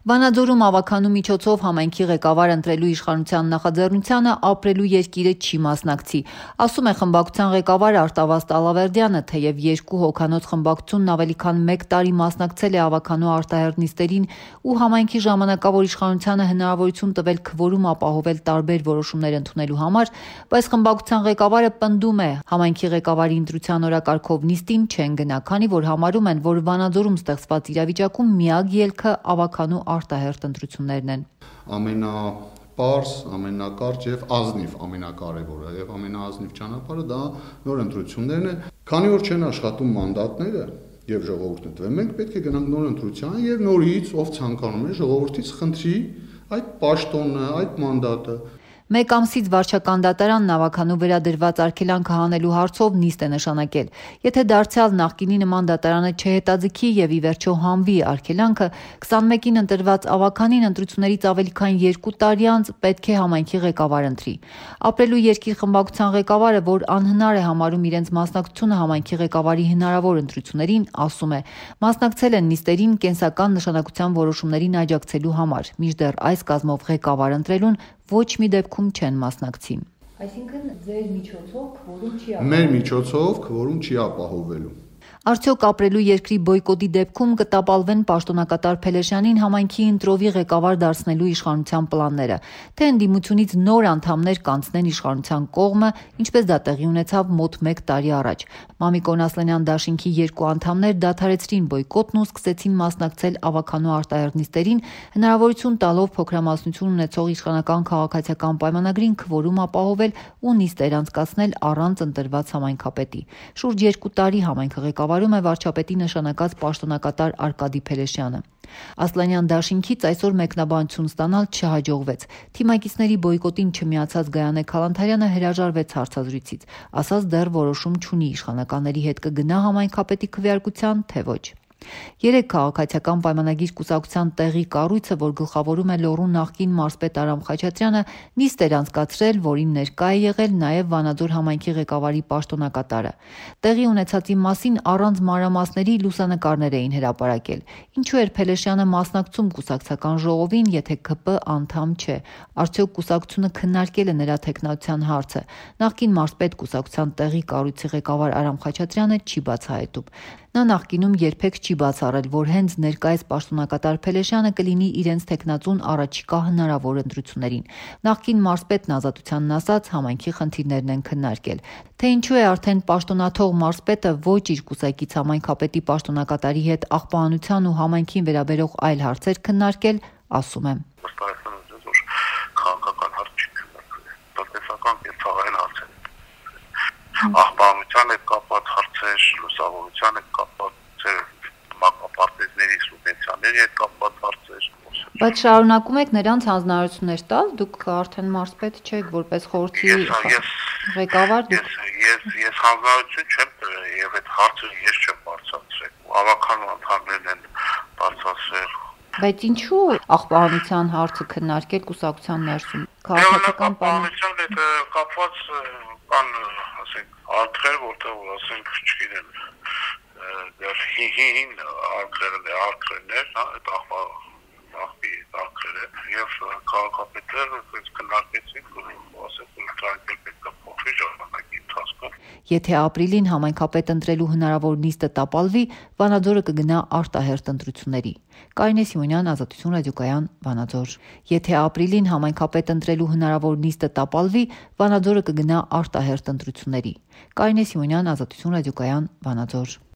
Վանաձորում ավականու միջոցով համայնքի ղեկավար ընտրելու իշխանության նախաձեռնությանը ապրելու երկիրը չի մասնակցի, ասում է խմբակցության ղեկավար Արտավազդ Ալավերդյանը, թեև երկու հոգանոց խմբակցությունն ավելի քան 1 տարի մասնակցել է ավականու արտահերթ նիստերին ու համայնքի ժամանակավոր իշխանությանը հնարավորություն տվել քվորում ապահովել տարբեր որոշումներ ընդունելու համար, բայց խմբակցության ղեկավարը պնդում է, համայնքի ղեկավարի ընտրության օրակարգով նիստին չեն գնա, քանի որ համարում են, որ Վանաձորում ստեղծված իրավիճակում միակ ելքը ավականու արտահերթ ընտրություններն են։ Ամենապարզ, ամենակարճ եւ ազնիվ ամենակարևորը եւ ամենաազնիվ ճանապարհը դա նոր ընտրություններն է, քանի որ չեն աշխատում մանդատները եւ ժողովուրդն ընտրել։ Մենք պետք է գնանք նոր ընտրության եւ նորից ով ցանկանում է ժողովրդից խնդրի այդ պաշտոնը, այդ մանդատը։ Մեկ ամսից վարչական դատարանն ավականու վրա դրված արգելանքը հանելու հարցով նիստ է նշանակել։ Եթե դարձյալ նախկինի նման դատարանը չհետաձգի եւ ի վերջո հանվի արգելանքը, 21-ին ընտրված ավականին ընտրություններից ավելի քան 2 տարի անց պետք է համայնքի ղեկավար ընտրի։ Ապրելու երկիր խմբակցության ղեկավարը, որ անհնար է համարում իրենց մասնակցությունը համայնքի ղեկավարի հնարավոր ընտրություններին, ասում է, մասնակցել են նիստերին կենսական նշանակության որոշումներին աջակցելու համար, մինչդեռ այս կազմով ղեկավար ընտրելուն ոչ մի դեպքում չեն մասնակցի։ Այսինքն ձեր միջոցով քվորում չի ապահովվելու։ Մեր միջոցով քվորում չի ապահովվելու։ Արդյոք ապրելու երկրի բոյկոտի դեպքում կտապալվեն պաշտոնակատար Փելեշյանին համայնքի ընտրովի ղեկավար դարձնելու իշխանության պլանները, թե ընդդիմությունից նոր անդամներ կանցնեն իշխանության կողմը, ինչպես դա տեղի ունեցավ մոտ 1 տարի առաջ։ Մամիկոն Ասլանյան դաշինքի 2 անդամներ դադարեցրին բոյկոտն ու սկսեցին մասնակցել ավականու արտահերթ նիստերին, հնարավորություն տալով փոքրամասնություն ունեցող իշխանական քաղաքացիական պայմանագրին քվորում ապահովել ու նիստեր անցկացնել առանց ընտրված համայնքապետի։ Շուրջ 2 տարի համայնքը ղեկավարում է վարչապետի նշանակած պաշտոնակատար Արկադի Փելեշյանը։ Ասլանյան դաշինքից այսօր մեկնաբանություն ստանալ չհաջողվեց։ Թիմակիցների բոյկոտին չմիացած Գայանե Քալանթարյանը հրաժարվեց հարցազրույցից, ասաց դեռ որոշում չունի իշխանականների հետ կգնա համայնքապետի քվեարկության, թե ոչ։ 3 քաղաքացիական պայմանագիր կուսակցության տեղի կառույցը, որ գլխավորում է Լոռու նախկին մարզպետ Արամ Խաչատրյանը, նիստ էր անցկացրել, որին ներկա է եղել նաև Վանաձոր համայնքի ղեկավարի պաշտոնակատարը։ Տեղի ունեցածի մասին առանց մանրամասների լուսանկարներ էին հրապարակել։ Ինչու էր Փելեշյանը մասնակցում կուսակցական ժողովին, եթե ՔՊ անդամ չէ։ Արդյոք կուսակցությունը քննարկել է նրա թեկնածության հարցը։ Նախկին մարզպետ կուսակցության տեղի կառույցի ղեկավար Արամ Խաչատրյանը չի բացահայտում։ Նա նախկինում երբեք չի բացառել, որ հենց ներկայիս պաշտոնակատար Փելեշյանը կլինի իրենց թեկնածուն առաջիկա հնարավոր ընտրություններին։ Նախկին մարզպետն ազատությանն ասաց, համայնքի խնդիրներն են քննարկել։ Թե ինչու է արդեն պաշտոնաթող մարզպետը ոչ իր կուսակից համայնքապետի պաշտոնակատարի հետ աղբահանության ու համայնքին վերաբերող այլ հարցեր քննարկել, ասում է. Քաղաքական հարց չի քննարկվել, տնտեսական եւ ցեղային հարցեր։ Աղբահանության հետ կապված հարցեր, լուսավորության հետ կապված մակապարտեզների սուբվենցիաների հետ կապված հարցեր։ Բայց շարունակում եք նրանց հանձնարարություններ տալ, դուք արդեն մարզպետ չեք, որպես խորհրդի ղեկավար դուք։ Ես հանձնարարություն չեմ տվել եւ այդ հարցը ես չեմ բարձրացրել։ Ավականու անդամներն են բարձրացրել։ Բայց ինչու աղբահանության հարցը քննարկել կուսակցության ներսում։ Քաղաքական պայմանության հետ կապված կան, ասենք, արկղեր, որտեղ ասենք, չգիտեմ, դեռ հին արկղերներ, այդ արկղերը եւ քաղաքապետերը քննարկեցին, ասենք, տրանկել պետք է փոխվի ժամանակի ընթացքում։ Եթե ապրիլին համայնքապետ ընտրելու հնարավոր նիստը տապալվի, Վանաձորը կգնա արտահերթ ընտրությունների։ Կարինե Սիմոնյան, Ազատություն ռադիոկայան, Վանաձոր։ Եթե ապրիլին համայնքապետ ընտրելու հնարավոր նիստը տապալվի, Վանաձորը կգնա արտահերթ ընտրությունների։ Կարինե Սիմոնյան, Ազատություն ռադիոկայան, Վանաձոր։